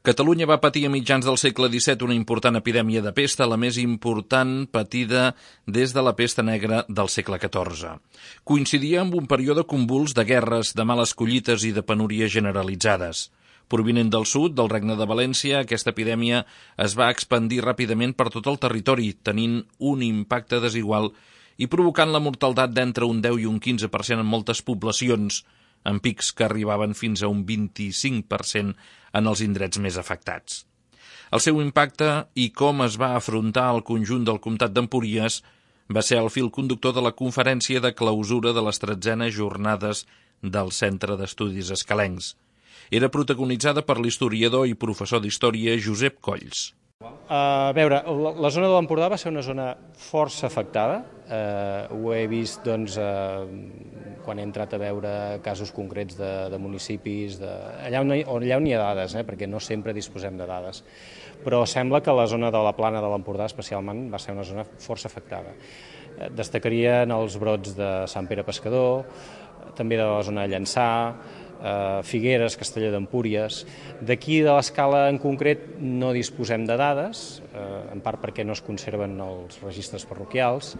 Catalunya va patir a mitjans del segle XVII una important epidèmia de pesta, la més important patida des de la pesta negra del segle XIV. Coincidia amb un període convuls de guerres, de males collites i de penúries generalitzades. Provinent del sud, del Regne de València, aquesta epidèmia es va expandir ràpidament per tot el territori, tenint un impacte desigual i provocant la mortaldat d'entre un 10 i un 15% en moltes poblacions, amb pics que arribaven fins a un 25% en els indrets més afectats. El seu impacte i com es va afrontar el conjunt del comtat d'Empúries va ser el fil conductor de la conferència de clausura de les 13enes jornades del Centre d'Estudis Escalencs. Era protagonitzada per l'historiador i professor d'història Josep Colls. A veure, la zona de l'Empordà va ser una zona força afectada. Ho he vist quan he entrat a veure casos concrets de municipis, allà on hi ha dades, perquè no sempre disposem de dades. Però sembla que la zona de la plana de l'Empordà especialment va ser una zona força afectada. Destacarien els brots de Sant Pere Pescador, també de la zona de Llançà, Figueres, Castelló d'Empúries. D'aquí de l'escala en concret no disposem de dades, en part perquè no es conserven els registres parroquials,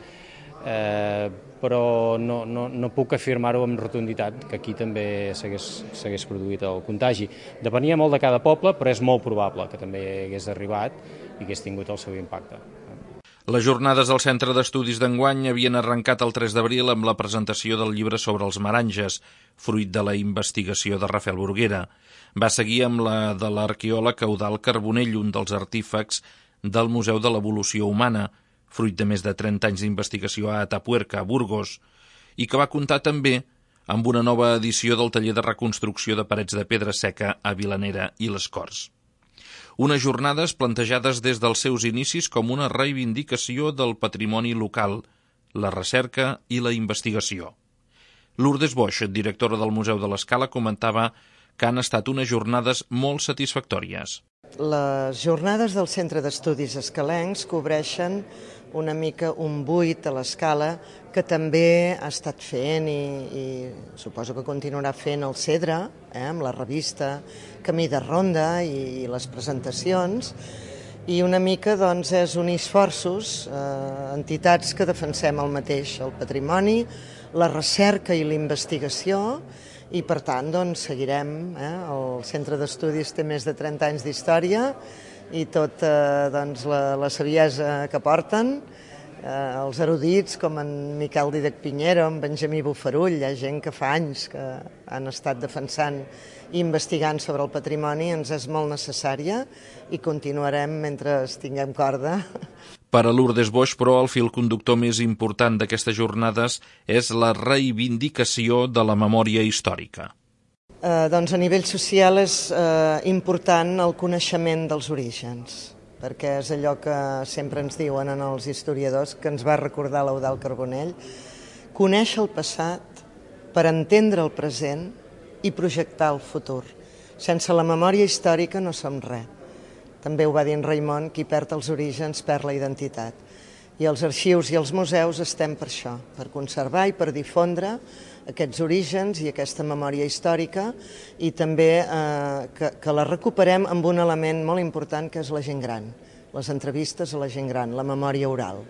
però no puc afirmar-ho amb rotunditat que aquí també s'hagués produït el contagi. Depenia molt de cada poble, però és molt probable que també hagués arribat i hagués tingut el seu impacte. Les jornades del Centre d'Estudis d'enguany havien arrencat el 3 d'abril amb la presentació del llibre sobre els Maranges, fruit de la investigació de Rafael Burguera. Va seguir amb la de l'arqueòleg Eudald Carbonell, un dels artífecs del Museu de l'Evolució Humana, fruit de més de 30 anys d'investigació a Atapuerca, a Burgos, i que va comptar també amb una nova edició del taller de reconstrucció de parets de pedra seca a Vilanera i les Corts. Unes jornades plantejades des dels seus inicis com una reivindicació del patrimoni local, la recerca i la investigació. Lourdes Boix, directora del Museu de l'Escala, comentava que han estat unes jornades molt satisfactòries. Les jornades del Centre d'Estudis Escalencs cobreixen una mica un buit a l'Escala que també ha estat fent i suposo que continuarà fent el CEDRA, amb la revista Camí de Ronda i les presentacions, i una mica és unir esforços, entitats que defensem el mateix, el patrimoni, la recerca i la investigació, i per tant seguirem. El Centre d'Estudis té més de 30 anys d'història i tota la saviesa que porten, els erudits com en Miquel Dídac Piñero, en Benjamí Bofarull, hi ha gent que fa anys que han estat defensant i investigant sobre el patrimoni, ens és molt necessària i continuarem mentre tinguem corda. Per a Lourdes Boix, però, el fil conductor més important d'aquestes jornades és la reivindicació de la memòria històrica. A nivell social és important el coneixement dels orígens, perquè és allò que sempre ens diuen els historiadors, que ens va recordar l'Eudald Carbonell, conèixer el passat per entendre el present i projectar el futur. Sense la memòria històrica no som res. També ho va dir en Raimon, qui perd els orígens perd la identitat. I els arxius i els museus estem per això, per conservar i per difondre aquests orígens i aquesta memòria històrica i també que la recuperem amb un element molt important que és la gent gran, les entrevistes a la gent gran, la memòria oral.